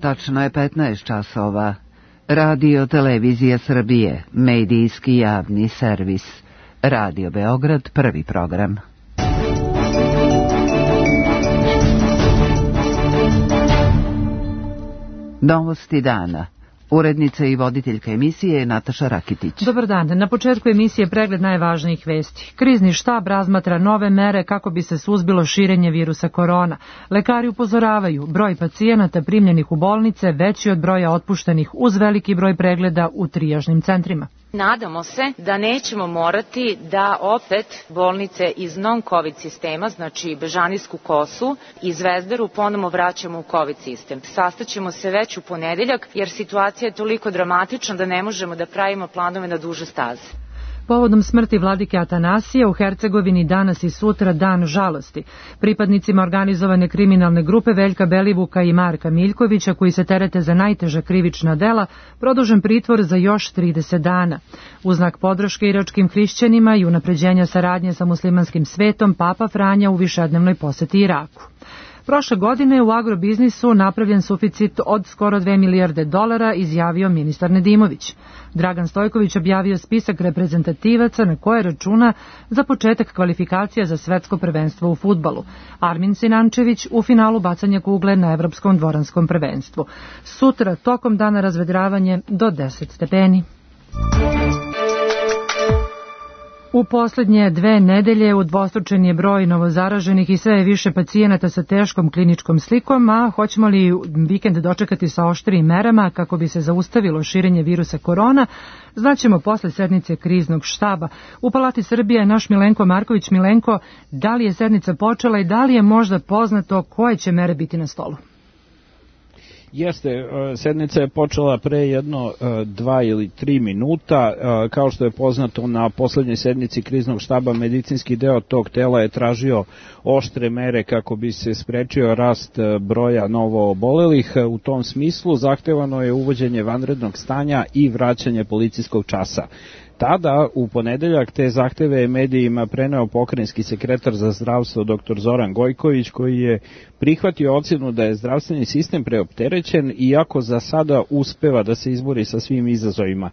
Tačno je 15 časova. Radio Televizija Srbije, medijski javni servis. Radio Beograd, prvi program. Novosti dana. Urednica i voditeljka emisije je Nataša Rakitić. Dobar dan. Na početku emisije pregled najvažnijih vesti. Krizni štab razmatra nove mere kako bi se suzbilo širenje virusa korona. Lekari upozoravaju, broj pacijenata primljenih u bolnice veći od broja otpuštenih uz veliki broj pregleda u trijažnim centrima. Nadamo se da nećemo morati da opet bolnice iz non-COVID sistema, znači Bežanijsku kosu i Zvezdaru, ponovo vraćamo u COVID sistem. Sastaćemo se već u ponedeljak jer situacija je toliko dramatična da ne možemo da pravimo planove na duže staze. Povodom smrti vladike Atanasija u Hercegovini danas i sutra dan žalosti. Pripadnicima organizovane kriminalne grupe Veljka Belivuka i Marka Miljkovića, koji se terete za najteža krivična dela, produžen pritvor za još 30 dana. U znak podrške iračkim hrišćanima i unapređenja saradnje sa muslimanskim svetom, Papa Franja u višednevnoj poseti Iraku. Prošle godine u agrobiznisu napravljen suficit od skoro 2 milijarde dolara, izjavio ministar Nedimović. Dragan Stojković objavio spisak reprezentativaca na koje računa za početak kvalifikacija za svetsko prvenstvo u fudbalu. Armin Sinančević u finalu bacanja kugle na evropskom dvoranskom prvenstvu. Sutra tokom dana razvedravanje do 10 stepeni. U posljednje 2 nedelje udvostručen je broj novozaraženih i sve je više pacijenata sa teškom kliničkom slikom, a hoćemo li vikend dočekati sa oštrijim merama kako bi se zaustavilo širenje virusa korona, znaćemo posle sednice kriznog štaba. U Palati Srbije je naš Milenko Marković. Milenko, da li je sednica počela i da li je možda poznato koje će mere biti na stolu? Jeste, sednica je počela pre jedno 2 ili 3 minuta. Kao što je poznato, na poslednjoj sednici kriznog štaba medicinski deo tog tela je tražio oštre mere kako bi se sprečio rast broja novo obolelih. U tom smislu zahtevano je uvođenje vanrednog stanja i vraćanje policijskog časa. Tada, u ponedeljak, te zahteve je medijima preneo pokrajinski sekretar za zdravstvo dr. Zoran Gojković, koji je prihvatio ocenu da je zdravstveni sistem preopterećen, iako za sada uspeva da se izbori sa svim izazovima.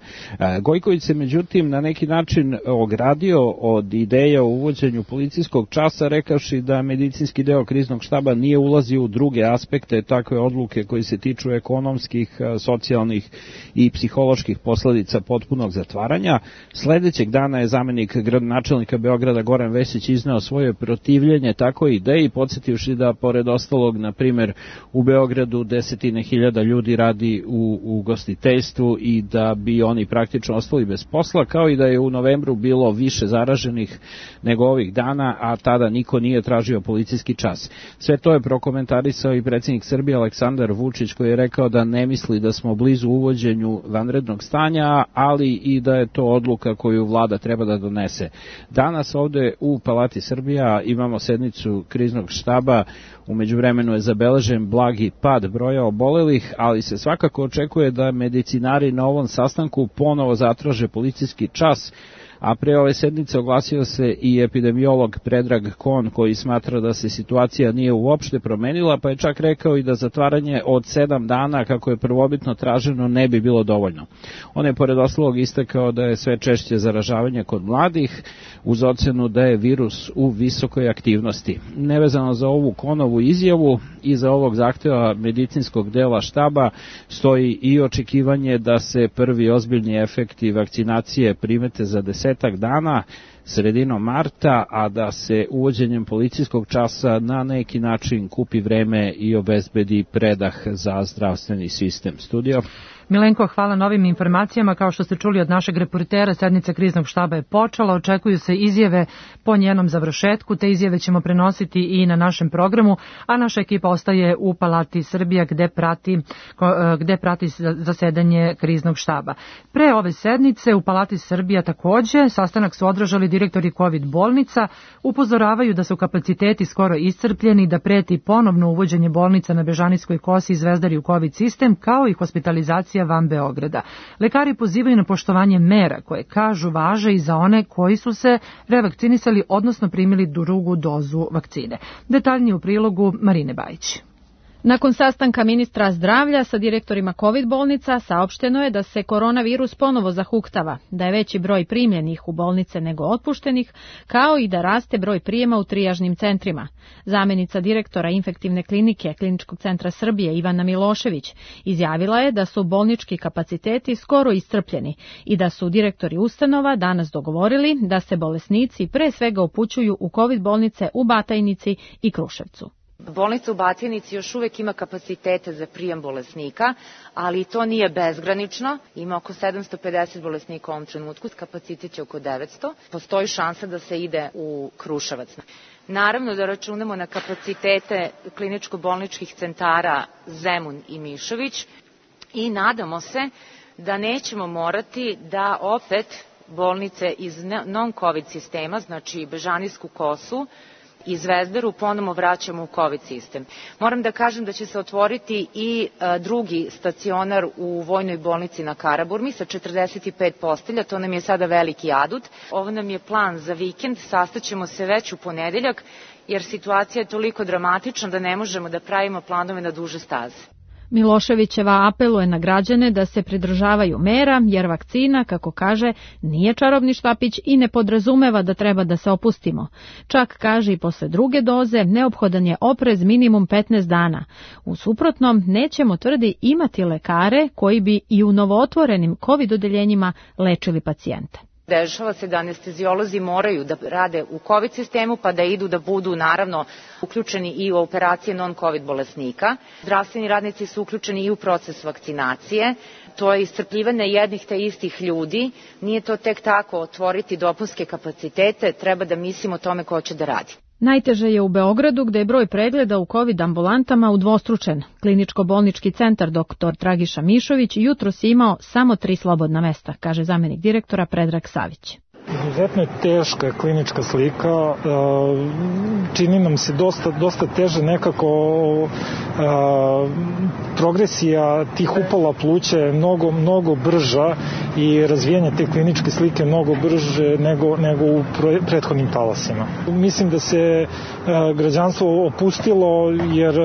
Gojković se međutim na neki način ogradio od ideja o uvođenju policijskog časa, rekavši da medicinski deo kriznog štaba nije ulazio u druge aspekte takve odluke koji se tiču ekonomskih, socijalnih i psiholoških posledica potpunog zatvaranja. Sledećeg dana je zamenik gradonačelnika Beograda Goran Vesić izneo svoje protivljenje takoj ideji, podsjetivši da pored ostalog, na primjer, u Beogradu 10.000 ljudi radi u ugostiteljstvu i da bi oni praktično ostali bez posla, kao i da je u novembru bilo više zaraženih nego ovih dana, a tada niko nije tražio policijski čas. Sve to je prokomentarisao i predsjednik Srbije Aleksandar Vučić, koji je rekao da ne misli da smo blizu uvođenju vanrednog stanja, ali i da je to odluka koju vlada treba da donese. Danas ovde u Palati Srbija imamo sednicu kriznog štaba. U međuvremenu je zabeležen blagi pad broja obolelih, ali se svakako očekuje da medicinari na ovom sastanku ponovo zatraže policijski čas, a pre ove sednice oglasio se i epidemiolog Predrag Kon, koji smatra da se situacija nije uopšte promenila, pa je čak rekao i da zatvaranje od 7 dana, kako je prvobitno traženo, ne bi bilo dovoljno. On je pored ostalog istakao da je sve češće zaražavanje kod mladih, uz ocenu da je virus u visokoj aktivnosti. Nevezano za ovu Konovu izjavu i za ovog zahteva medicinskog dela štaba stoji i očekivanje da se prvi ozbiljni efekti vakcinacije primete za 10 dana, sredinom marta, a da se uvođenjem policijskog časa na neki način kupi vreme i obezbedi predah za zdravstveni sistem. Studio. Milenko, hvala na ovim informacijama. Kao što ste čuli od našeg reportera, sednica kriznog štaba je počela, očekuju se izjave po njenom završetku, te izjave ćemo prenositi i na našem programu, a naša ekipa ostaje u Palati Srbija gde prati zasedanje kriznog štaba. Pre ove sednice u Palati Srbija takođe sastanak su održali direktori COVID bolnica, upozoravaju da su kapaciteti skoro iscrpljeni, da preti ponovno uvođenje bolnica na Bežanijskoj kosi i Zvezdari u COVID sistem, kao i hospitalizacija van Beograda. Lekari pozivaju na poštovanje mera koje, kažu, važe i za one koji su se revakcinisali, odnosno primili drugu dozu vakcine. Detaljnije u prilogu Marine Bajić. Nakon sastanka ministra zdravlja sa direktorima COVID bolnica saopšteno je da se koronavirus ponovo zahuktava, da je veći broj primljenih u bolnice nego otpuštenih, kao i da raste broj prijema u trijažnim centrima. Zamenica direktora infektivne klinike Kliničkog centra Srbije Ivana Milošević izjavila je da su bolnički kapaciteti skoro iscrpljeni i da su direktori ustanova danas dogovorili da se bolesnici pre svega upućuju u COVID bolnice u Batajnici i Kruševcu. Bolnica u Batajnici još uvek ima kapacitete za prijem bolesnika, ali to nije bezgranično. Ima oko 750 bolesnika u ovom trenutku, kapacitet je oko 900. Postoji šansa da se ide u Kruševac. Naravno da računamo na kapacitete kliničko-bolničkih centara Zemun i Mišović i nadamo se da nećemo morati da opet bolnice iz non-COVID sistema, znači Bežanijsku kosu i Zvezdaru, ponovo vraćamo u COVID sistem. Moram da kažem da će se otvoriti i drugi stacionar u Vojnoj bolnici na Karaburmi sa 45 postelja, to nam je sada veliki adut. Ovo nam je plan za vikend, sastaćemo se već u ponedeljak, jer situacija je toliko dramatična da ne možemo da pravimo planove na duže staze. Miloševićeva apeluje na građane da se pridržavaju mera, jer vakcina, kako kaže, nije čarobni štapić i ne podrazumeva da treba da se opustimo. Čak, kaže, i posle druge doze neophodan je oprez minimum 15 dana. U suprotnom, nećemo, tvrdi, imati lekare koji bi i u novootvorenim COVID odeljenjima lečili pacijente. Dešava se da anestezijolozi moraju da rade u COVID sistemu, pa da idu da budu naravno uključeni i u operacije non-COVID bolesnika. Zdravstveni radnici su uključeni i u proces vakcinacije. To je iscrpljivanje jednih te istih ljudi. Nije to tek tako otvoriti dopunske kapacitete, treba da mislimo o tome ko će da radi. Najteže je u Beogradu, gde je broj pregleda u COVID ambulantama udvostručen. Kliničko-bolnički centar dr. Dragiša Mišović jutros je imao samo 3 slobodna mesta, kaže zamenik direktora Predrag Savić. Izuzetno je teška klinička slika, čini nam se dosta teže nekako, progresija tih upala pluća je mnogo brža i razvijanje te kliničke slike mnogo brže nego u prethodnim talasima. Mislim da se građanstvo opustilo jer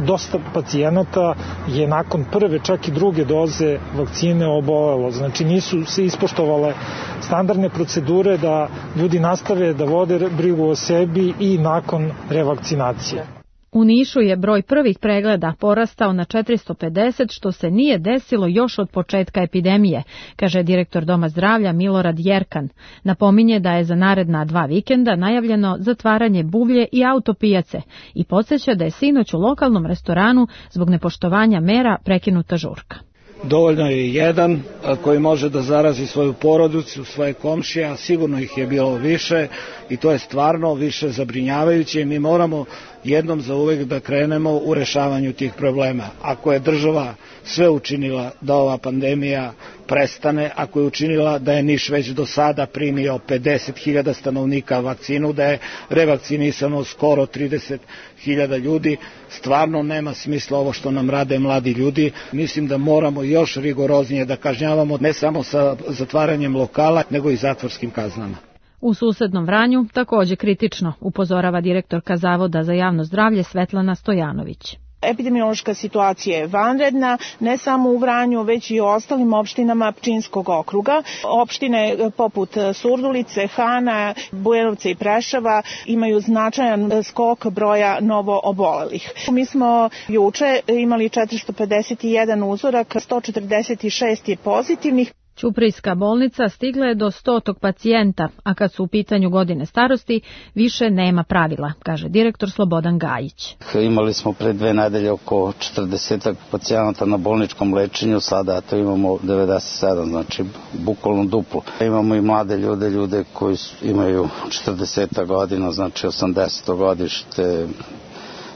dosta pacijenata je nakon prve, čak i druge doze vakcine obolelo. Znači nisu se ispoštovale standardne procedure da ljudi nastave da vode brigu o sebi i nakon revakcinacije. U Nišu je broj prvih pregleda porastao na 450, što se nije desilo još od početka epidemije, kaže direktor Doma zdravlja Milorad Jerkan. Napominje da je za naredna 2 vikenda najavljeno zatvaranje buvlje i autopijace i podsjeća da je sinoć u lokalnom restoranu zbog nepoštovanja mera prekinuta žurka. Dovoljno je jedan koji može da zarazi svoju porodicu, svoje komšije, a sigurno ih je bilo više i to je stvarno više zabrinjavajuće i mi moramo jednom za uvek da krenemo u rešavanju tih problema. Ako je država sve učinila da ova pandemija prestane, ako je učinila da je Niš već do sada primio 50.000 stanovnika vakcinu, da je revakcinisano skoro 30.000 ljudi, stvarno nema smisla ovo što nam rade mladi ljudi. Mislim da moramo još rigoroznije da kažnjavamo ne samo sa zatvaranjem lokala, nego i zatvorskim kaznama. U susednom Vranju takođe kritično, upozorava direktorka Zavoda za javno zdravlje Svetlana Stojanović. Epidemiološka situacija je vanredna, ne samo u Vranju, već i u ostalim opštinama Pčinjskog okruga. Opštine poput Surdulice, Hana, Bujanovca i Preševa imaju značajan skok broja novo obolelih. Mi smo juče imali 451 uzorak, 146 je pozitivnih. Ćuprijska bolnica stigla je do 100. pacijenta, a kad su u pitanju godine starosti, više nema pravila, kaže direktor Slobodan Gajić. Imali smo pre 2 nedelje oko 40 pacijenata na bolničkom lečenju, sada to imamo 97, znači bukvalno duplo. Imamo i mlade ljude koji imaju 40 godina, znači 80 godište,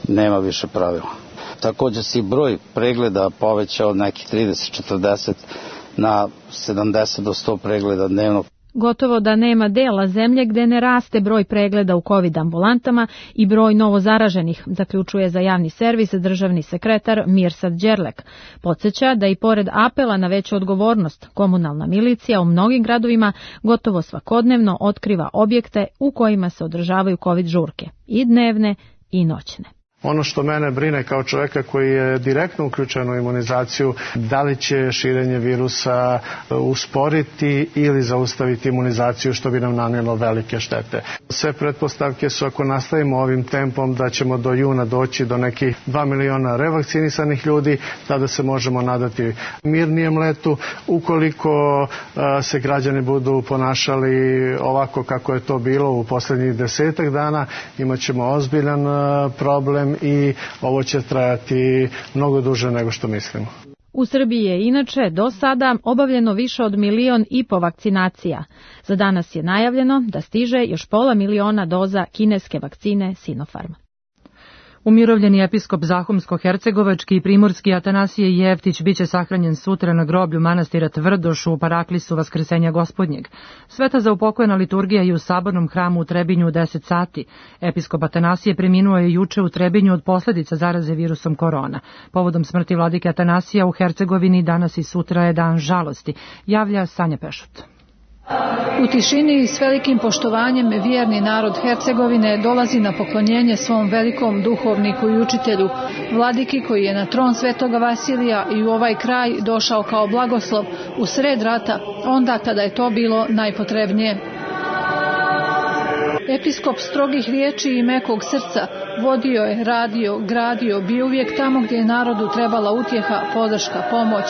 nema više pravila. Također se i broj pregleda povećao od nekih 30-40 na 70 do 100 pregleda dnevno. Gotovo da nema dela zemlje gde ne raste broj pregleda u COVID ambulantama i broj novozaraženih, zaključuje za javni servis državni sekretar Mirsad Đerlek. Podsjeća da i pored apela na veću odgovornost, komunalna milicija u mnogim gradovima gotovo svakodnevno otkriva objekte u kojima se održavaju COVID žurke, i dnevne i noćne. Ono što mene brine kao čoveka koji je direktno uključen u imunizaciju, da li će širenje virusa usporiti ili zaustaviti imunizaciju, što bi nam nanijelo velike štete. Sve pretpostavke su, ako nastavimo ovim tempom, da ćemo do juna doći do nekih 2 miliona revakcinisanih ljudi, tada se možemo nadati mirnijem letu. Ukoliko se građani budu ponašali ovako kako je to bilo u poslednjih 10 dana, imat ćemo ozbiljan problem i ovo će trajati mnogo duže nego što mislimo. U Srbiji je inače do sada obavljeno više od 1,5 miliona vakcinacija. Za danas je najavljeno da stiže još 500.000 doza kineske vakcine Sinopharm. Umirovljeni episkop Zahumsko-hercegovački i primorski Atanasije Jeftić biće sahranjen sutra na groblju manastira Tvrdoš u Paraklisu Vaskrsenja Gospodnjeg. Sveta za upokojena liturgija je u sabornom hramu u Trebinju u 10 sati. Episkop Atanasije preminuo je juče u Trebinju od posljedica zaraze virusom korona. Povodom smrti vladike Atanasija u Hercegovini danas i sutra je dan žalosti, javlja Sanja Pešut. U tišini i s velikim poštovanjem vjerni narod Hercegovine dolazi na poklonjenje svom velikom duhovniku i učitelju, vladiki koji je na tron Svetoga Vasilija i u ovaj kraj došao kao blagoslov u sred rata, onda kada je to bilo najpotrebnije. Episkop strogih riječi i mekog srca vodio je, radio, gradio, bio uvijek tamo gdje je narodu trebala utjeha, podrška, pomoć.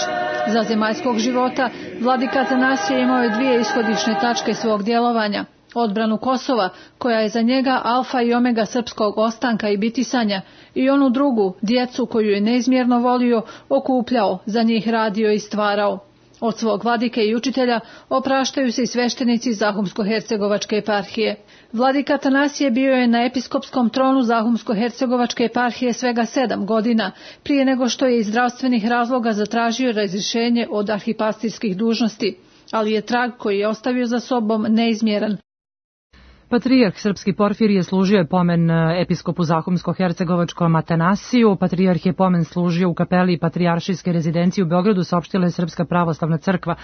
Za zemaljskog života vladika Atanasije imao je 2 ishodišne tačke svog djelovanja. Odbranu Kosova, koja je za njega alfa i omega srpskog ostanka i bitisanja, i onu drugu, djecu koju je neizmjerno volio, okupljao, za njih radio i stvarao. Od svog vladike i učitelja opraštaju se i sveštenici Zahumsko-hercegovačke eparhije. Vladika Atanasije bio je na episkopskom tronu Zahumsko-hercegovačke eparhije svega 7 godina, prije nego što je iz zdravstvenih razloga zatražio razrješenje od arhipastirskih dužnosti, ali je trag koji je ostavio za sobom neizmjeran. Patrijarh srpski Porfirije služio je pomen episkopu Zahumsko-hercegovačkom Atanasiju. Patrijarh je pomen služio u kapeli Patrijaršijske rezidencije u Beogradu, saopštila je Srpska pravoslavna crkva.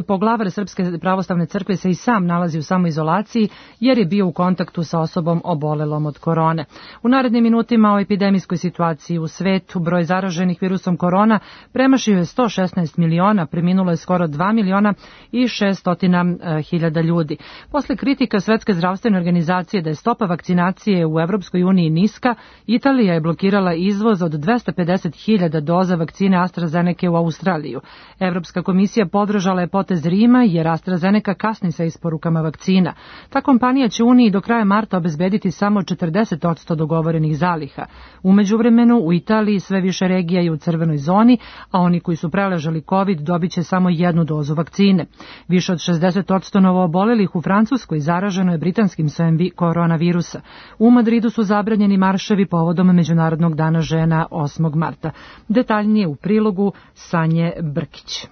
Poglavar Srpske pravoslavne crkve se i sam nalazi u samoizolaciji jer je bio u kontaktu sa osobom obolelom od korone. U narednim minutima o epidemijskoj situaciji u svetu, broj zaraženih virusom korona premašio je 116 miliona, preminulo je skoro 2 miliona i 600.000 ljudi. Posle kritika Svetske zdravstvene organizacije da je stopa vakcinacije u Evropskoj uniji niska, Italija je blokirala izvoz od 250.000 doza vakcine AstraZeneca u Australiju. Evropska komisija podržala je potez Rima jer AstraZeneca kasni sa isporukama vakcina. Ta kompanija će Uniji do kraja marta obezbediti samo 40% dogovorenih zaliha. U međuvremenu u Italiji sve više regija je u crvenoj zoni, a oni koji su preležali COVID dobit će samo 1 dozu vakcine. Više od 60% novoobolelih u Francuskoj zaraženo je britanskim sojem koronavirusa. U Madridu su zabranjeni marševi povodom Međunarodnog dana žena 8. marta. Detaljnije u prilogu Sanje Brkić.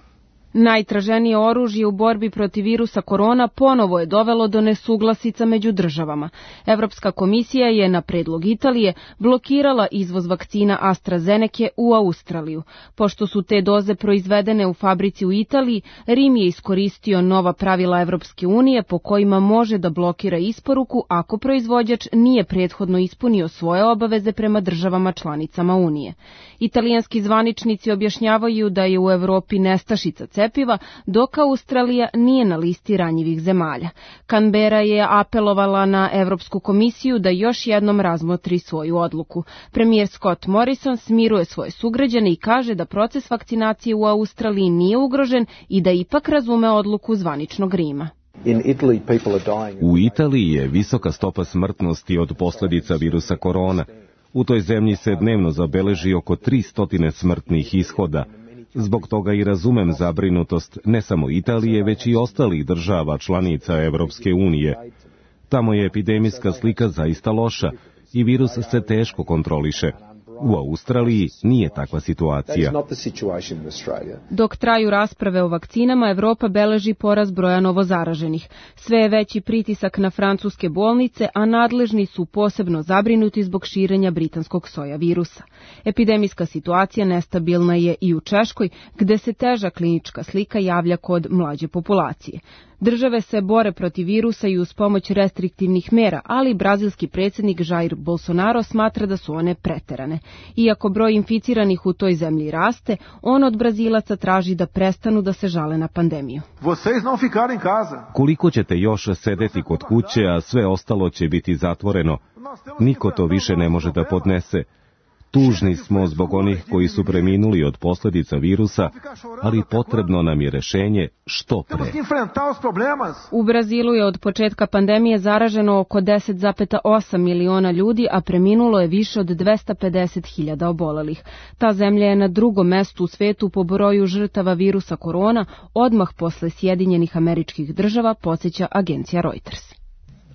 Najtraženije oružje u borbi protiv virusa korona ponovo je dovelo do nesuglasica među državama. Evropska komisija je na predlog Italije blokirala izvoz vakcina AstraZeneca u Australiju. Pošto su te doze proizvedene u fabrici u Italiji, Rim je iskoristio nova pravila Evropske unije po kojima može da blokira isporuku ako proizvođač nije prethodno ispunio svoje obaveze prema državama članicama Unije. Italijanski zvaničnici objašnjavaju da je u Evropi nestašica cepiva, dok Australija nije na listi ranjivih zemalja. Canberra je apelovala na Evropsku komisiju da još jednom razmotri svoju odluku. Premijer Scott Morrison smiruje svoje sugrađane i kaže da proces vakcinacije u Australiji nije ugrožen i da ipak razume odluku zvaničnog Rima. U Italiji je visoka stopa smrtnosti od posljedica virusa korona. U toj zemlji se dnevno zabeleži oko 300 smrtnih ishoda. Zbog toga i razumem zabrinutost ne samo Italije, već i ostalih država članica Evropske unije. Tamo je epidemijska slika zaista loša i virus se teško kontroliše. U Australiji nije takva situacija. Dok traju rasprave o vakcinama, Evropa beleži porast broja novozaraženih. Sve je veći pritisak na francuske bolnice, a nadležni su posebno zabrinuti zbog širenja britanskog soja virusa. Epidemijska situacija nestabilna je i u Češkoj, gde se teža klinička slika javlja kod mlađe populacije. Države se bore protiv virusa i uz pomoć restriktivnih mera, ali brazilski predsjednik Jair Bolsonaro smatra da su one preterane. Iako broj inficiranih u toj zemlji raste, on od Brazilaca traži da prestanu da se žale na pandemiju. Koliko ćete još sedeti kod kuće, a sve ostalo će biti zatvoreno? Niko to više ne može da podnese. Tužni smo zbog onih koji su preminuli od posljedica virusa, ali potrebno nam je rešenje što pre. U Brazilu je od početka pandemije zaraženo oko 10,8 miliona ljudi, a preminulo je više od 250.000 obolelih. Ta zemlja je na drugom mestu u svetu po broju žrtava virusa korona, odmah posle Sjedinjenih Američkih Država, podsjeća agencija Reuters.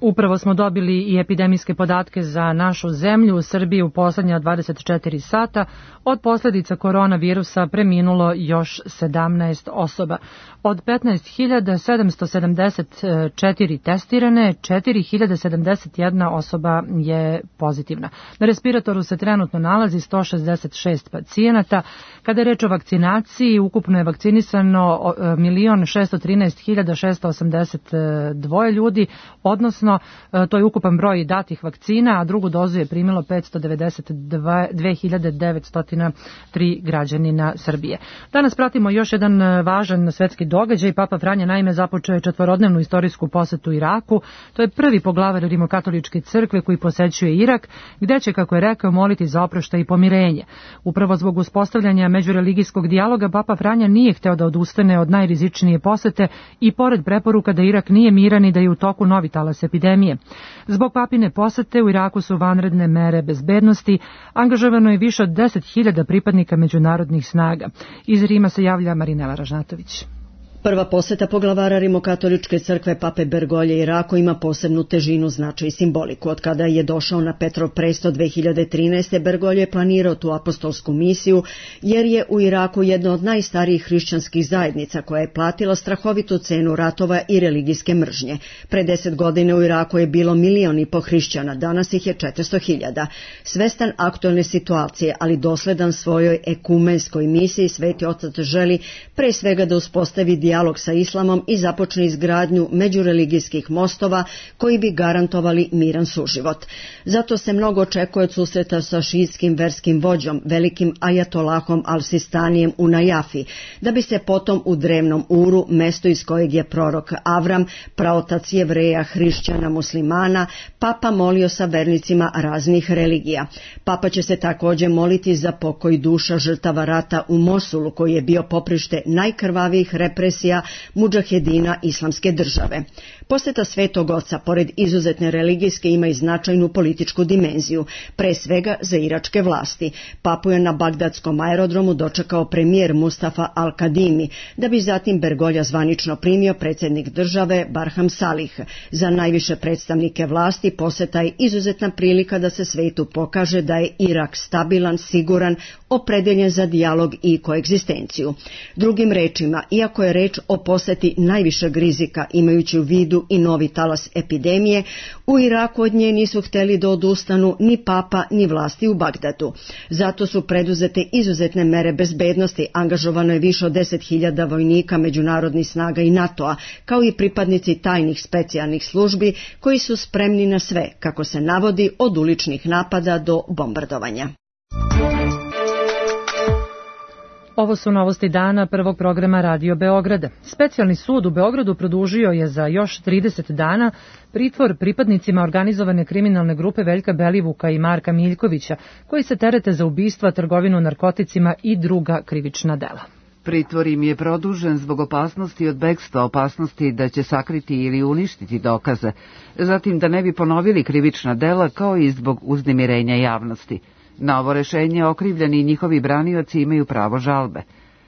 Upravo smo dobili i epidemijske podatke za našu zemlju. U Srbiji u poslednja 24 sata od posljedica koronavirusa preminulo još 17 osoba. Od 15.774 testirane, 4.071 osoba je pozitivna. Na respiratoru se trenutno nalazi 166 pacijenata. Kada je reč o vakcinaciji, ukupno je vakcinisano 1.613.682 ljudi, odnosno to je ukupan broj datih vakcina, a drugu dozu je primilo 592.903 građanina Srbije. Danas pratimo još jedan važan svetski događaj. Papa Franja naime započeo je 4-dnevnu istorijsku posetu Iraku. To je prvi poglavar Rimokatoličke crkve koji posećuje Irak, gde će, kako je rekao, moliti za oproštaj i pomirenje. Upravo zbog uspostavljanja međureligijskog dijaloga Papa Franja nije hteo da odustane od najrizičnije posete i pored preporuka da Irak nije miran i da je u toku novi talas epidemije. Zbog papine posete u Iraku su vanredne mere bezbednosti, angažovano je više od 10.000 pripadnika međunarodnih snaga. Iz Rima se javlja Marinela Ražnatović. Prva poseta poglavara Rimokatoličke crkve pape Bergolje Iraku ima posebnu težinu, značaj i simboliku. Od kada je došao na Petrov presto 2013. Bergolje je planirao tu apostolsku misiju, jer je u Iraku jedna od najstarijih hrišćanskih zajednica koja je platila strahovitu cenu ratova i religijske mržnje. Pre 10 godina u Iraku je bilo 1,5 miliona hrišćana, danas ih je 400.000. Svestan aktualne situacije, ali dosledan svojoj ekumenskoj misiji, Sveti Otac želi pre svega da uspostavi dijalog sa islamom i započne izgradnju međureligijskih mostova koji bi garantovali miran suživot. Zato se mnogo očekuje od susreta sa šiitskim verskim vođom, velikim ajatolahom Al-Sistanijem u Najafi, da bi se potom u drevnom Uru, mesto iz kojeg je prorok Avram, praotac Jevreja, hrišćana, muslimana, papa molio sa vernicima raznih religija. Papa će se također moliti za pokoj duša žrtava rata u Mosulu, koji je bio poprište najkrvavijih represija mudžahedina Islamske države. Poseta Svetog Oca, pored izuzetne religijske, ima i značajnu političku dimenziju, pre svega za iračke vlasti. Papu je na bagdadskom aerodromu dočekao premijer Mustafa Al-Kadimi, da bi zatim Bergolja zvanično primio predsjednik države Barham Salih. Za najviše predstavnike vlasti poseta je izuzetna prilika da se svetu pokaže da je Irak stabilan, siguran, opredeljen za dijalog i koegzistenciju. Drugim rečima, iako je reč o poseti najvišeg rizika, imajući u vidu i novi talas epidemije, u Iraku od nje nisu hteli da odustanu ni papa ni vlasti u Bagdadu. Zato su preduzete izuzetne mere bezbednosti, angažovano je više od 10.000 vojnika međunarodnih snaga i NATO-a, kao i pripadnici tajnih specijalnih službi koji su spremni na sve, kako se navodi, od uličnih napada do bombardovanja. Ovo su novosti dana prvog programa Radio Beograda. Specijalni sud u Beogradu produžio je za još 30 dana pritvor pripadnicima organizovane kriminalne grupe Veljka Belivuka i Marka Miljkovića, koji se terete za ubistva, trgovinu narkoticima i druga krivična dela. Pritvor im je produžen zbog opasnosti od bekstva, opasnosti da će sakriti ili uništiti dokaze, zatim da ne bi ponovili krivična dela, kao i zbog uznemirenja javnosti. Na ovo rešenje okrivljeni i njihovi branioci imaju pravo žalbe.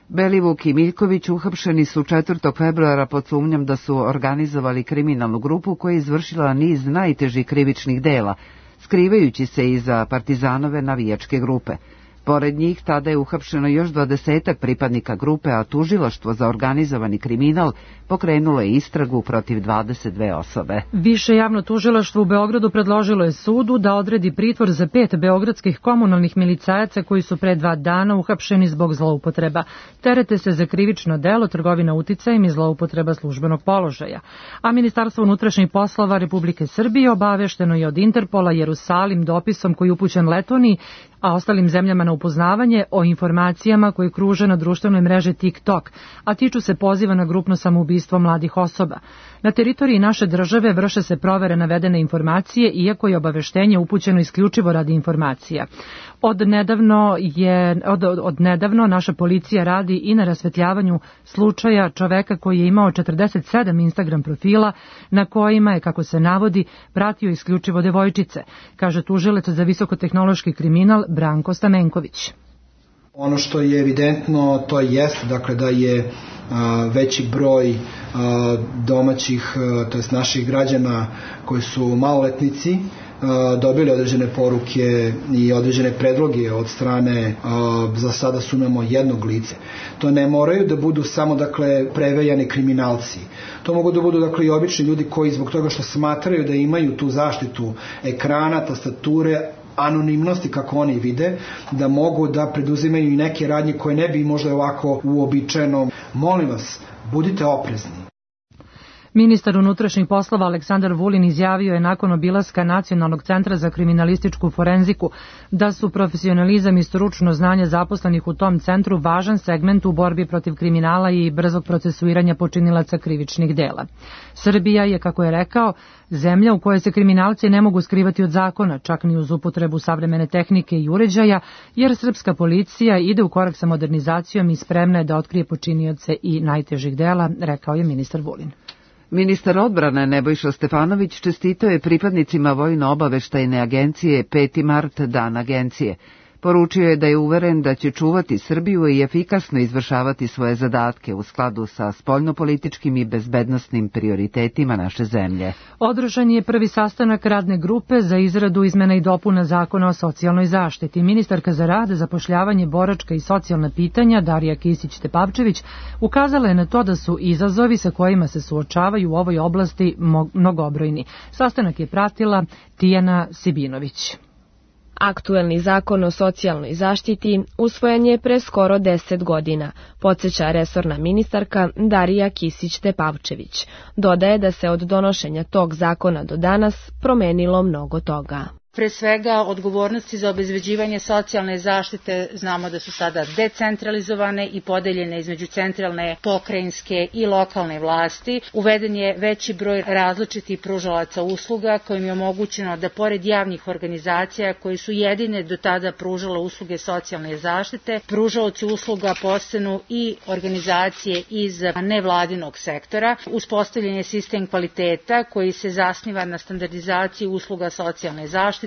Belivuk i Miljković uhapšeni su 4. februara pod sumnjom da su organizovali kriminalnu grupu koja je izvršila niz najtežih krivičnih dela, skrivajući se iza partizanove navijačke grupe. Pored njih tada je uhapšeno još 20 pripadnika grupe, a tužilaštvo za organizovani kriminal pokrenulo je istragu protiv 22 osobe. Više javno tužilaštvo u Beogradu predložilo je sudu da odredi pritvor za 5 beogradskih komunalnih milicajaca koji su pre 2 dana uhapšeni zbog zloupotreba. Terete se za krivično delo trgovina uticajem i zloupotreba službenog položaja. A Ministarstvo unutrašnjih poslova Republike Srbije obavešteno je od Interpola Jerusalim dopisom koji je upućen Letoniji, a ostalim zemljama na upoznavanje o informacijama koje kruže na društvenoj mreži TikTok, a tiču se poziva na grupno samoubistvo mladih osoba. Na teritoriji naše države vrše se provere navedene informacije, iako je obaveštenje upućeno isključivo radi informacija. Od nedavno naša policija radi i na rasvetljavanju slučaja čoveka koji je imao 47 Instagram profila na kojima je, kako se navodi, pratio isključivo devojčice, kaže tužilac za visokotehnološki kriminal Branko Stamenković. Ono što je evidentno to jeste dakle da je veći broj domaćih, to jest naših građana koji su maloletnici dobili određene poruke i određene predloge od strane, za sada sumnjamo, jednog lice. To ne moraju da budu samo dakle prevejani kriminalci. To mogu da budu dakle i obični ljudi koji zbog toga što smatraju da imaju tu zaštitu ekrana, tastature, anonimnosti kako oni vide, da mogu da preduzimaju i neke radnje koje ne bi možda ovako uobičajeno. Molim vas, budite oprezni. Ministar unutrašnjih poslova Aleksandar Vulin izjavio je nakon obilaska Nacionalnog centra za kriminalističku forenziku da su profesionalizam i stručno znanje zaposlenih u tom centru važan segment u borbi protiv kriminala i brzog procesuiranja počinilaca krivičnih dela. Srbija je, kako je rekao, zemlja u kojoj se kriminalci ne mogu skrivati od zakona, čak ni uz upotrebu savremene tehnike i uređaja, jer srpska policija ide u korak sa modernizacijom i spremna je da otkrije počinioce i najtežih dela, rekao je ministar Vulin. Ministar odbrane Nebojša Stefanović čestitao je pripadnicima Vojno-obaveštajne agencije 5. mart, dan agencije. Poručio je da je uveren da će čuvati Srbiju i efikasno izvršavati svoje zadatke u skladu sa spoljnopolitičkim i bezbednosnim prioritetima naše zemlje. Održan je prvi sastanak radne grupe za izradu izmena i dopuna Zakona o socijalnoj zaštiti. Ministarka za rad, zapošljavanje, boračka i socijalna pitanja Darija Kisić-Tepavčević ukazala je na to da su izazovi sa kojima se suočavaju u ovoj oblasti mnogobrojni. Sastanak je pratila Tijana Sibinović. Aktuelni zakon o socijalnoj zaštiti usvojen je pre skoro 10 godina, podsjeća resorna ministarka Darija Kisić-Tepavčević. Dodaje da se od donošenja tog zakona do danas promenilo mnogo toga. Pre svega, odgovornosti za obezbeđivanje socijalne zaštite znamo da su sada decentralizovane i podeljene između centralne, pokrajinske i lokalne vlasti. Uveden je veći broj različitih pružalaca usluga kojim je omogućeno da pored javnih organizacija koji su jedine do tada pružale usluge socijalne zaštite, pružaoci usluga postanu i organizacije iz nevladinog sektora. Uspostavljen je sistem kvaliteta koji se zasniva na standardizaciji usluga socijalne zaštite,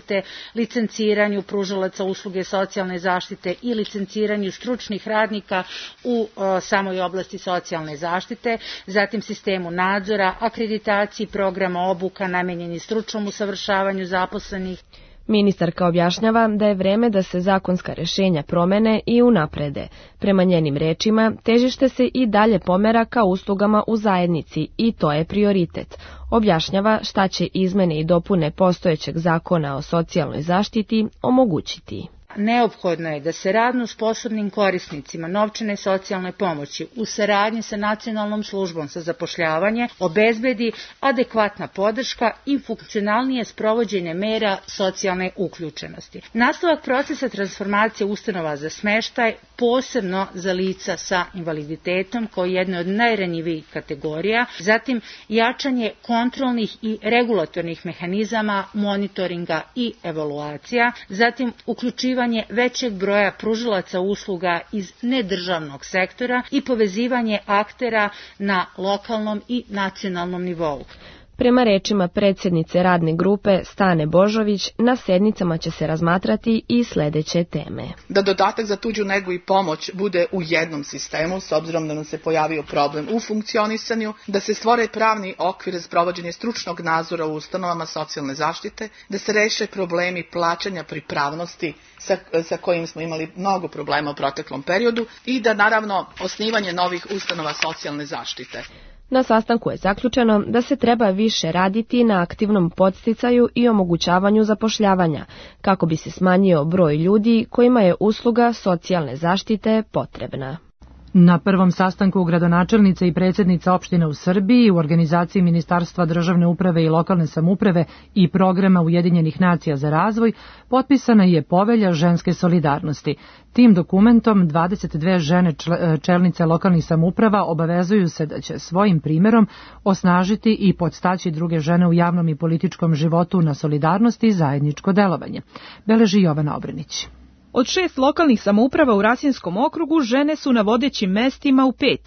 licenciranju pružalaca usluge socijalne zaštite i licenciranju stručnih radnika u samoj oblasti socijalne zaštite, zatim sistemu nadzora, akreditaciji programa obuka namenjeni stručnom usavršavanju zaposlenih. Ministarka objašnjava da je vreme da se zakonska rešenja promene i unaprede. Prema njenim rečima, težište se i dalje pomera ka uslugama u zajednici i to je prioritet. Objašnjava šta će izmene i dopune postojećeg zakona o socijalnoj zaštiti omogućiti. Neophodno je da se radno sposobnim korisnicima novčane socijalne pomoći u saradnji sa Nacionalnom službom za zapošljavanje obezbedi adekvatna podrška i funkcionalnije sprovođenje mera socijalne uključenosti. Nastavak procesa transformacije ustanova za smeštaj, posebno za lica sa invaliditetom kao jedne od najranjivijih kategorija, zatim jačanje kontrolnih i regulatornih mehanizama, monitoringa i evaluacija, zatim uključivanje većeg broja pružalaca usluga iz nedržavnog sektora i povezivanje aktera na lokalnom i nacionalnom nivou. Prema rečima predsjednice radne grupe Stane Božović, na sednicama će se razmatrati i sledeće teme. Da dodatak za tuđu negu i pomoć bude u jednom sistemu, s obzirom da nam se pojavio problem u funkcionisanju, da se stvore pravni okvir za sprovođenje stručnog nadzora u ustanovama socijalne zaštite, da se reše problemi plaćanja pripravnosti sa kojim smo imali mnogo problema u proteklom periodu i da naravno osnivanje novih ustanova socijalne zaštite. Na sastanku je zaključeno da se treba više raditi na aktivnom podsticaju i omogućavanju zapošljavanja, kako bi se smanjio broj ljudi kojima je usluga socijalne zaštite potrebna. Na prvom sastanku gradonačelnice i predsjednica opštine u Srbiji u organizaciji Ministarstva državne uprave i lokalne samouprave i programa Ujedinjenih nacija za razvoj potpisana je povelja ženske solidarnosti. Tim dokumentom 22 žene čelnice lokalnih samouprava obavezuju se da će svojim primjerom osnažiti i podstaći druge žene u javnom i političkom životu na solidarnosti i zajedničko delovanje. Beleži Jovana Obrenić. Od 6 lokalnih samouprava u Rasinskom okrugu žene su na vodećim mestima u 5.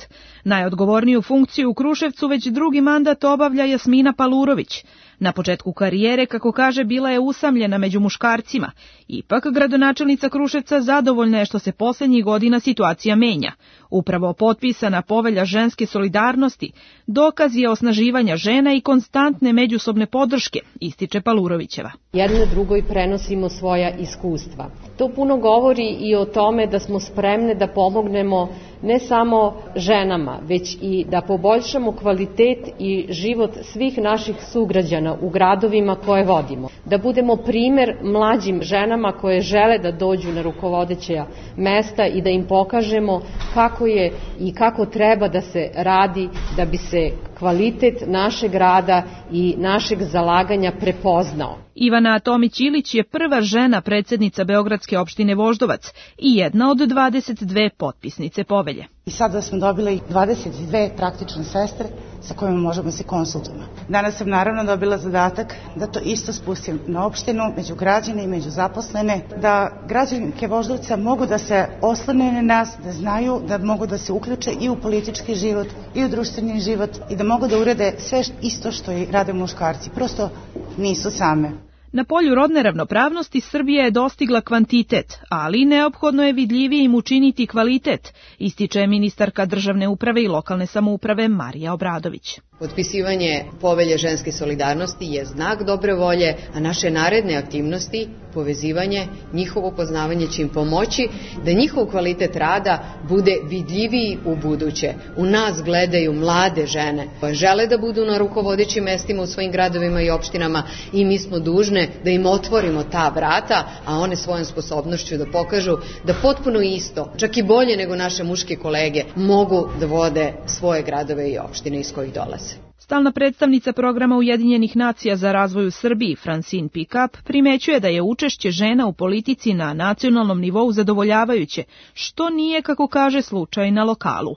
Najodgovorniju funkciju u Kruševcu već drugi mandat obavlja Jasmina Palurović. Na početku karijere, kako kaže, bila je usamljena među muškarcima. Ipak, gradonačelnica Kruševca zadovoljna je što se posljednjih godina situacija menja. Upravo potpisana povelja ženske solidarnosti dokaz je osnaživanja žena i konstantne međusobne podrške, ističe Palurovićeva. Jedno drugoj prenosimo svoja iskustva. To puno govori i o tome da smo spremne da pomognemo ne samo ženama, već i da poboljšamo kvalitet i život svih naših sugrađana u gradovima koje vodimo. Da budemo primer mlađim ženama koje žele da dođu na rukovodeća mesta i da im pokažemo kako je i kako treba da se radi da bi se kvalitet našeg rada i našeg zalaganja prepoznao. Ivana Tomić-Ilić je prva žena predsjednica Beogradske opštine Voždovac i jedna od 22 potpisnice povelje. I sada smo dobili 22 praktične sestre sa kojima možemo se konsultovati. Danas sam naravno dobila zadatak da to isto spustim na opštinu, među građane i među zaposlene, da građanke Voždovca mogu da se oslone na nas, da znaju da mogu da se uključe i u politički život i u društveni život i da mogu da urede sve isto što i rade muškarci. Prosto nisu same. Na polju rodne ravnopravnosti Srbija je dostigla kvantitet, ali neophodno je vidljivijim učiniti kvalitet, ističe ministarka državne uprave i lokalne samouprave Marija Obradović. Potpisivanje povelje ženske solidarnosti je znak dobre volje, a naše naredne aktivnosti, povezivanje, njihovo poznavanje će im pomoći da njihov kvalitet rada bude vidljiviji u buduće. U nas gledaju mlade žene koje žele da budu na rukovodećim mestima u svojim gradovima i opštinama i mi smo dužne da im otvorimo ta vrata, a one svojom sposobnošću da pokažu da potpuno isto, čak i bolje nego naše muške kolege, mogu da vode svoje gradove i opštine iz kojih dolaze. Stalna predstavnica programa Ujedinjenih nacija za razvoj u Srbiji, Francine Pickup, primećuje da je učešće žena u politici na nacionalnom nivou zadovoljavajuće, što nije, kako kaže, slučaj na lokalu.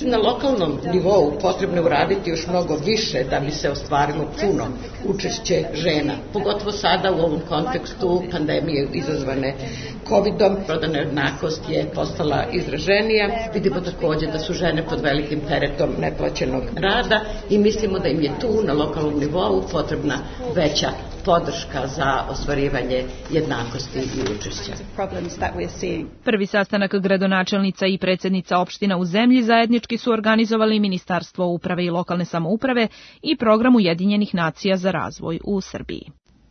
Na lokalnom nivou potrebno je uraditi još mnogo više da bi se ostvarilo puno učešće žena. Pogotovo sada u ovom kontekstu pandemije izazvane COVID-om, rodna nejednakost je postala izraženija. Vidimo također da su žene pod velikim teretom neplaćenog rada i mislimo da im je tu na lokalnom nivou potrebna veća podrška za ostvarivanje jednakosti i učešća. Prvi sastanak gradonačelnica i predsjednica opština u zemlji zajednički su organizovali Ministarstvo uprave i lokalne samouprave i program Ujedinjenih nacija za razvoj u Srbiji.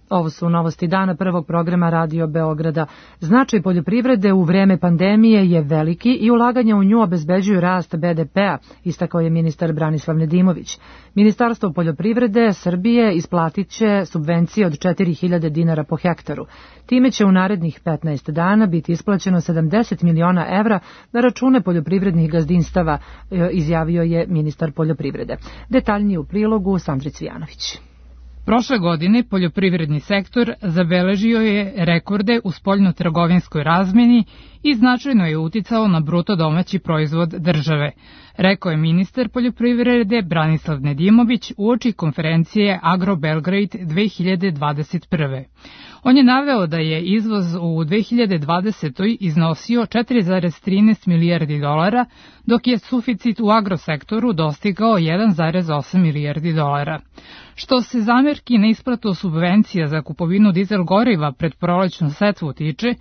Ovo su novosti dana prvog programa Radio Beograda. Značaj poljoprivrede u vreme pandemije je veliki i ulaganja u nju obezbeđuju rast BDP-a, istakao je ministar Branislav Nedimović. Ministarstvo poljoprivrede Srbije isplatit će subvencije od 4.000 dinara po hektaru. Time će u narednih 15 dana biti isplaćeno 70 miliona evra na račune poljoprivrednih gazdinstava, izjavio je ministar poljoprivrede. Detaljnije u prilogu Sandri Cvijanović. Prošle godine poljoprivredni sektor zabeležio je rekorde u spoljno-trgovinskoj razmeni i značajno je uticao na bruto domaći proizvod države, rekao je ministar poljoprivrede Branislav Nedimović uoči konferencije Agro Belgrade 2021. On je naveo da je izvoz u 2020. iznosio 4,13 milijardi dolara, dok je suficit u agrosektoru dostigao 1,8 milijardi dolara. Što se zamerki na isplatu subvencija za kupovinu dizel goriva pred prolećnu setvu tiče,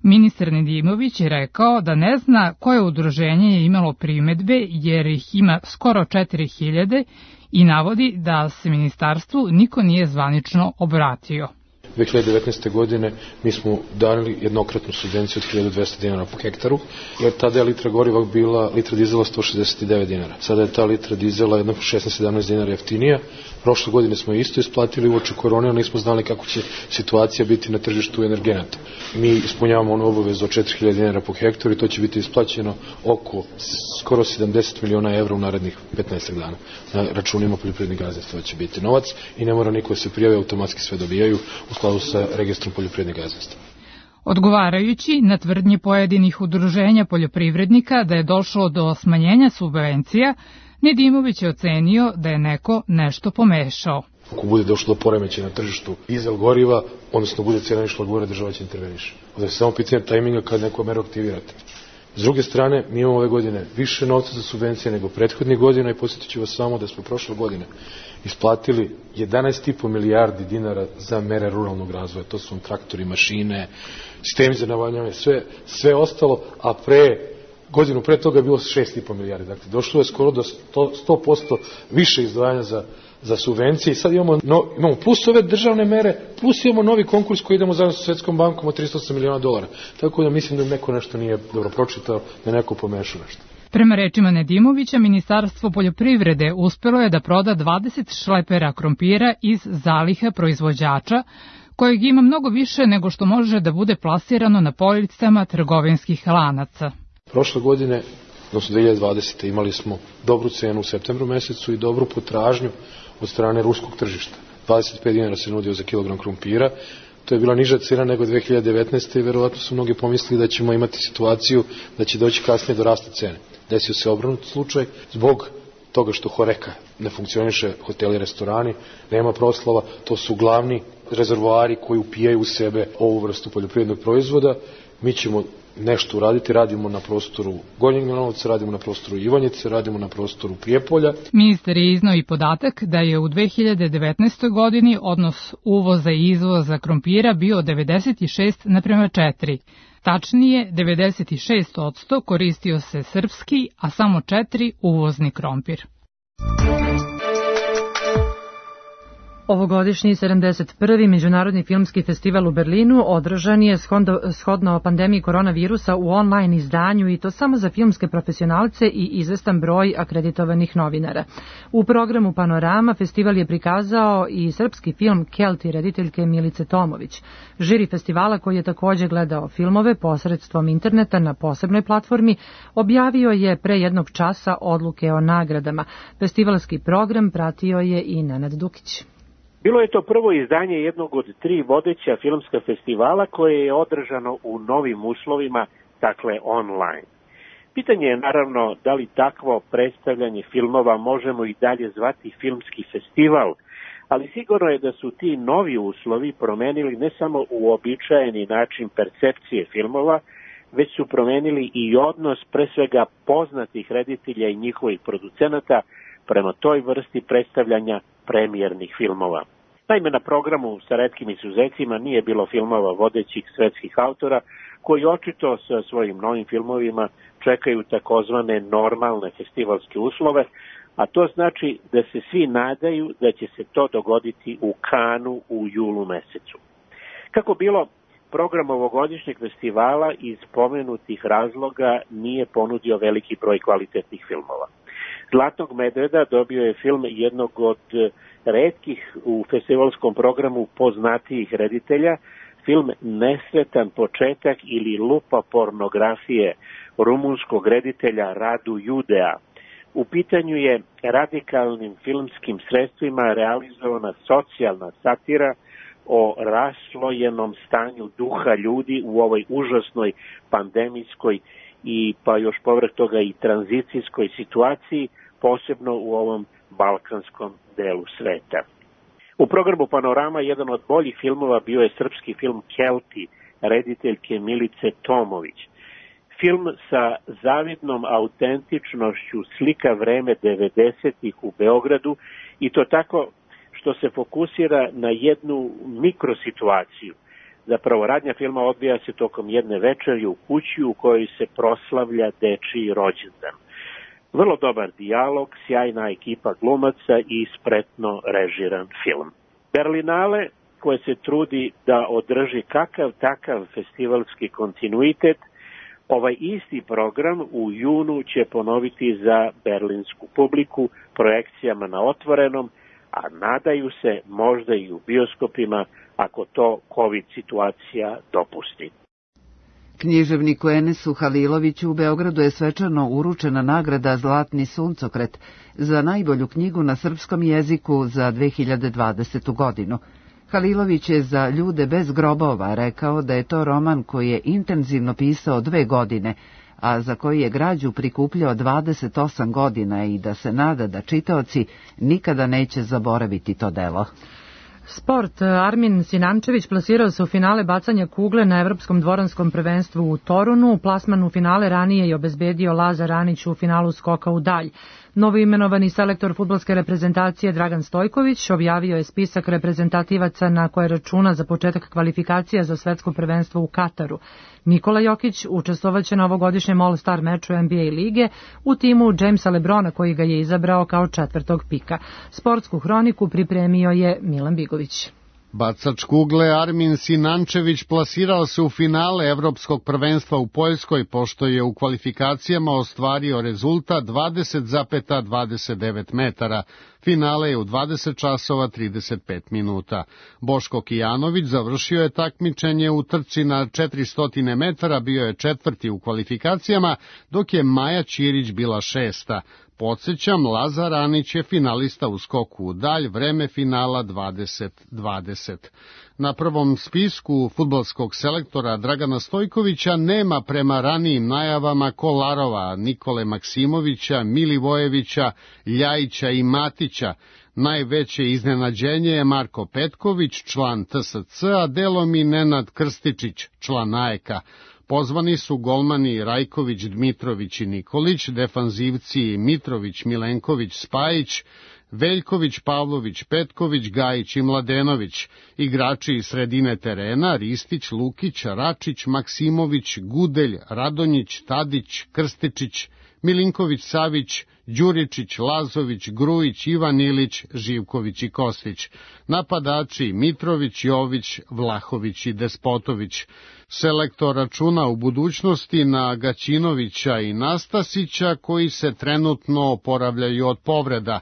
ministar Nedimović je rekao da ne zna koje udruženje je imalo primedbe jer ih ima skoro 4000 i navodi da se ministarstvu niko nije zvanično obratio. 2019. godine mi smo dali jednokratnu subvenciju od 1200 dinara po hektaru, jer tada je litra goriva bila, litra dizela 169 dinara. Sada je ta litra dizela jedno 16-17 dinara jeftinija. Prošle godine smo isto isplatili uoči korone, ali nismo znali kako će situacija biti na tržištu energenata. Mi ispunjavamo onu obavezu od 4000 dinara po hektaru i to će biti isplaćeno oko skoro 70 miliona evra u narednih 15 dana. Na računima poljoprivrednih gazdinstva će biti novac i ne mora niko se prijave, automatski sve dobijaju u skladu sa registrom poljoprivrednih gazdinstva. Odgovarajući na tvrdnje pojedinih udruženja poljoprivrednika da je došlo do smanjenja subvencija, Nedimović je ocenio da je neko nešto pomešao. Ako bude došlo do poremećaja na tržištu dizel goriva, odnosno bude cena išla gore, država će interveniše. Onda je samo pitanje tajminga kad neko meru aktivirate. S druge strane, mi imamo ove godine više novca za subvencije nego prethodnih godina i podsjetit ću vas samo da smo prošle godine isplatili 11,5 milijardi dinara za mere ruralnog razvoja. To su traktori, mašine, sistemi za navodnjavanje, sve ostalo, a godinu pre toga je bilo 6,5 milijardi. Dakle, došlo je skoro do 100% više izdvajanja za subvencije i sad imamo plus ove državne mere, plus imamo novi konkurs koji idemo zajedno sa Svetskom bankom od 308 miliona dolara. Tako da mislim da neko nešto nije dobro pročitao, da neko pomešao nešto. Prema rečima Nedimovića, Ministarstvo poljoprivrede uspelo je da proda 20 šlepera krompira iz zaliha proizvođača, kojeg ima mnogo više nego što može da bude plasirano na policama trgovinskih lanaca. Prošle godine, odnosno 2020. imali smo dobru cenu u septembru mesecu i dobru potražnju od strane ruskog tržišta. 25 dinara se nudio za kilogram krompira. To je bila niža cena nego 2019. i verovatno su mnogi pomislili da ćemo imati situaciju da će doći kasnije do rasta cene. Desio se obranut slučaj zbog toga što Horeka ne funkcioniše, hoteli i restorani, nema proslava, to su glavni rezervoari koji upijaju u sebe ovu vrstu poljoprivrednog proizvoda. Mi ćemo nešto uraditi, radimo na prostoru Gornjeg Milanovca, radimo na prostoru Ivanjice, radimo na prostoru Prijepolja. Ministar je iznao i podatak da je u 2019. godini odnos uvoza i izvoza krompira bio 96:4. Tačnije, 96% koristio se srpski, a samo 4 uvozni krompir. Ovogodišnji 71. Međunarodni filmski festival u Berlinu održan je shodno pandemiji koronavirusa u online izdanju i to samo za filmske profesionalce i izvestan broj akreditovanih novinara. U programu Panorama festival je prikazao i srpski film Kelti rediteljke Milice Tomović. Žiri festivala, koji je također gledao filmove posredstvom interneta na posebnoj platformi, objavio je pre jednog časa odluke o nagradama. Festivalski program pratio je i Nenad Dukić. Bilo je to prvo izdanje jednog od 3 vodeća filmska festivala koje je održano u novim uslovima, dakle online. Pitanje je naravno da li takvo predstavljanje filmova možemo i dalje zvati filmski festival, ali sigurno je da su ti novi uslovi promenili ne samo uobičajeni način percepcije filmova, već su promenili i odnos pre svega poznatih reditelja i njihovih producenata prema toj vrsti predstavljanja premijernih filmova. Naime, na programu sa retkim izuzecima nije bilo filmova vodećih svetskih autora koji očito sa svojim novim filmovima čekaju takozvane normalne festivalske uslove, a to znači da se svi nadaju da će se to dogoditi u Kanu u julu mesecu. Kako bilo, program ovogodišnjeg festivala iz pomenutih razloga nije ponudio veliki broj kvalitetnih filmova. Zlatnog medveda dobio je film jednog od retkih u festivalskom programu poznatijih reditelja, film Nesretan početak ili Lupa pornografije rumunskog reditelja Radu Judea. U pitanju je radikalnim filmskim sredstvima realizovana socijalna satira o raslojenom stanju duha ljudi u ovoj užasnoj pandemijskoj i pa još povrh toga i tranzicijskoj situaciji, posebno u ovom balkanskom delu sveta. U programu Panorama jedan od boljih filmova bio je srpski film Kelti, rediteljke Milice Tomović. Film sa zavidnom autentičnošću slika vreme 90-ih u Beogradu i to tako što se fokusira na jednu mikrosituaciju. Zapravo, radnja filma odvija se tokom jedne večeri u kući u kojoj se proslavlja dečiji rođendan. Vrlo dobar dijalog, sjajna ekipa glumaca i spretno režiran film. Berlinale, koje se trudi da održi kakav takav festivalski kontinuitet, ovaj isti program u junu će ponoviti za berlinsku publiku projekcijama na otvorenom, a nadaju se možda i u bioskopima ako to COVID situacija dopusti. Književniku Enesu Haliloviću u Beogradu je svečano uručena nagrada Zlatni suncokret za najbolju knjigu na srpskom jeziku za 2020. godinu. Halilović je za Ljude bez grobova rekao da je to roman koji je intenzivno pisao 2 godine, a za koji je građu prikupljao 28 godina i da se nada da čitaoci nikada neće zaboraviti to delo. Sport. Armin Sinančević plasirao se u finale bacanja kugle na Evropskom dvoranskom prvenstvu u Torunu. Plasman u finale ranije je obezbedio Lazar Anić u finalu skoka u dalj. Novoimenovani selektor fudbalske reprezentacije Dragan Stojković objavio je spisak reprezentativaca na koje računa za početak kvalifikacija za svetsko prvenstvo u Kataru. Nikola Jokić učestvovaće na ovogodišnjem All-Star meču NBA lige u timu Jamesa Lebrona koji ga je izabrao kao 4. pika. Sportsku hroniku pripremio je Milan Bigović. Bacač kugle Armin Sinančević plasirao se u finale Evropskog prvenstva u Poljskoj, pošto je u kvalifikacijama ostvario rezultat 20,29 metara. Finale je u 20 časova 35 minuta. Boško Kijanović završio je takmičenje u trci na 400 metara, bio je 4. u kvalifikacijama, dok je Maja Ćirić bila 6. Podsjećam, Lazar Anić je finalista u skoku u dalj, vreme finala 20:20. Na prvom spisku fudbalskog selektora Dragana Stojkovića nema prema ranijim najavama Kolarova, Nikole Maksimovića, Milivojevića, Ljajića i Matića. Najveće iznenađenje je Marko Petković, član TSC, a delom i Nenad Krstičić, član AEK-a. Pozvani su golmani Rajković, Dmitrović i Nikolić, defanzivci Mitrović, Milenković, Spajić, Veljković, Pavlović, Petković, Gajić i Mladenović, igrači iz sredine terena Ristić, Lukić, Račić, Maksimović, Gudelj, Radonjić, Tadić, Krstičić, Milinković, Savić, Đuričić, Lazović, Grujić, Ivan Ilić, Živković i Kostić. Napadači Mitrović, Jović, Vlahović i Despotović. Selektor računa u budućnosti na Gaćinovića i Nastasića koji se trenutno oporavljaju od povreda.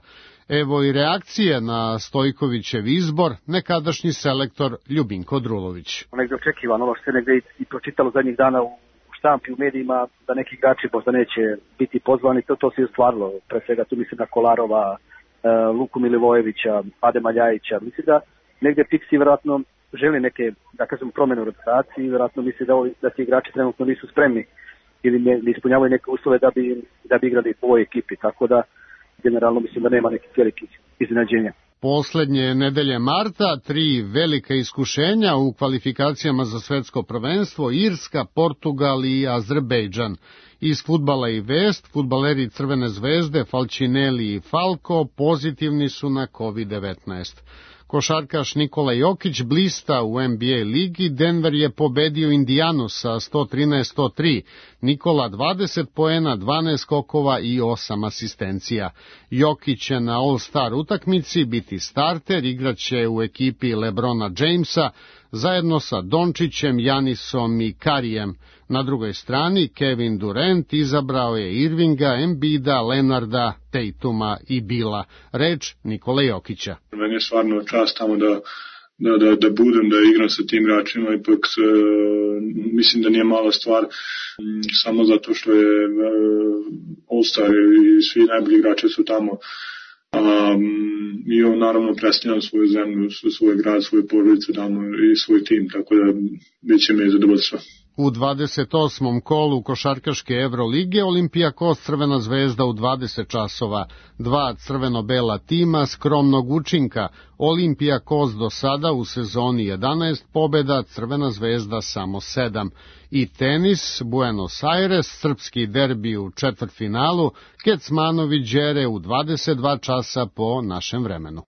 Evo i reakcije na Stojkovićev izbor, nekadašnji selektor Ljubinko Drulović. Negde očekivano, ovo što se negde i pročitalo zadnjih dana u štampi, u medijima, da neki igrači možda neće biti pozvani, to se i ostvarilo. Pre svega tu mislim na Kolarova, Luku Milivojevića, Adema Ljajića. Mislim da negde Pixi vjerojatno želi neke, da kažem, promjene u rotaciji, vjerojatno misli da ti igrači trenutno nisu spremni ili ne ispunjavaju neke uslove da bi igrali u ovoj ekipi, tako da generalno mislim da nema nekih velikih iznenađenja. Poslednje nedelje marta 3 velika iskušenja u kvalifikacijama za svetsko prvenstvo, Irska, Portugal i Azerbejdžan. Iz fudbala i vest, fudbaleri Crvene zvezde, Falcinelli i Falco pozitivni su na COVID-19. Košarkaš Nikola Jokić blista u NBA ligi, Denver je pobedio Indijanu sa 113-103, Nikola 20 poena, 12 skokova i 8 asistencija. Jokić će na All-Star utakmici biti starter, igraće u ekipi LeBrona Jamesa, zajedno sa Dončićem, Janisom i Karijem. Na drugoj strani Kevin Durant izabrao je Irvinga, Embida, Lenarda, Tatuma i Bila. Reč Nikola Jokića. Meni je stvarno čast tamo da budem, da igram sa tim igračima, ipak mislim da nije mala stvar samo zato što je All-Star i svi najbolji igrači su tamo. I on naravno predstavljam svoju zemlju, svoj grad, svoje porodice tamo i svoj tim, tako da bit će mi zadovoljstvo. U 28. kolu košarkaške Evrolige Olimpijakos Crvena zvezda u 20 časova. 2 crveno-bela tima skromnog učinka. Olimpijakos do sada u sezoni 11 pobjeda, Crvena zvezda samo 7. I tenis, Buenos Aires, srpski derbi u četvrtfinalu, Kecmanović-Đere u 22 časa po našem vremenu.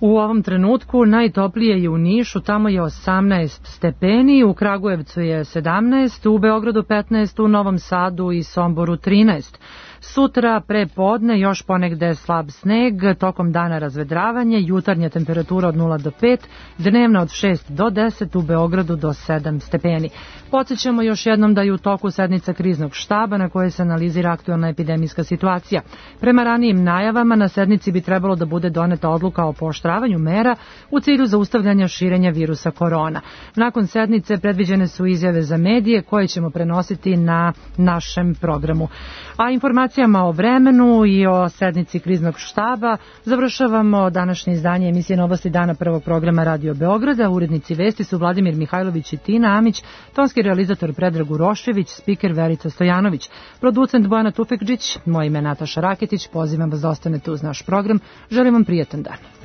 U ovom trenutku najtoplije je u Nišu, tamo je 18 stepeni, u Kragujevcu je 17, u Beogradu 15, u Novom Sadu i Somboru 13. Sutra pre podne još ponegde slab sneg, tokom dana razvedravanje, jutarnja temperatura od 0 do 5, dnevna od 6 do 10, u Beogradu do 7 stepeni. Podsjećamo još jednom da je u toku sednica kriznog štaba na kojoj se analizira aktualna epidemijska situacija. Prema ranijim najavama na sednici bi trebalo da bude doneta odluka o pooštravanju mera u cilju zaustavljanja širenja virusa korona. Nakon sednice predviđene su izjave za medije koje ćemo prenositi na našem programu. A informacijama o vremenu i o sednici kriznog štaba završavamo današnje izdanje emisije Novosti dana prvog programa Radio Beograda. Urednici vesti su Vladimir Mihajlović i Tina Amić, tonski realizator Predrag Urošević, spiker Verica Stojanović, producent Bojana Tufekđić, moje ime Nataša Raketić. Pozivam vas da ostanete uz naš program. Želim vam prijatan dan.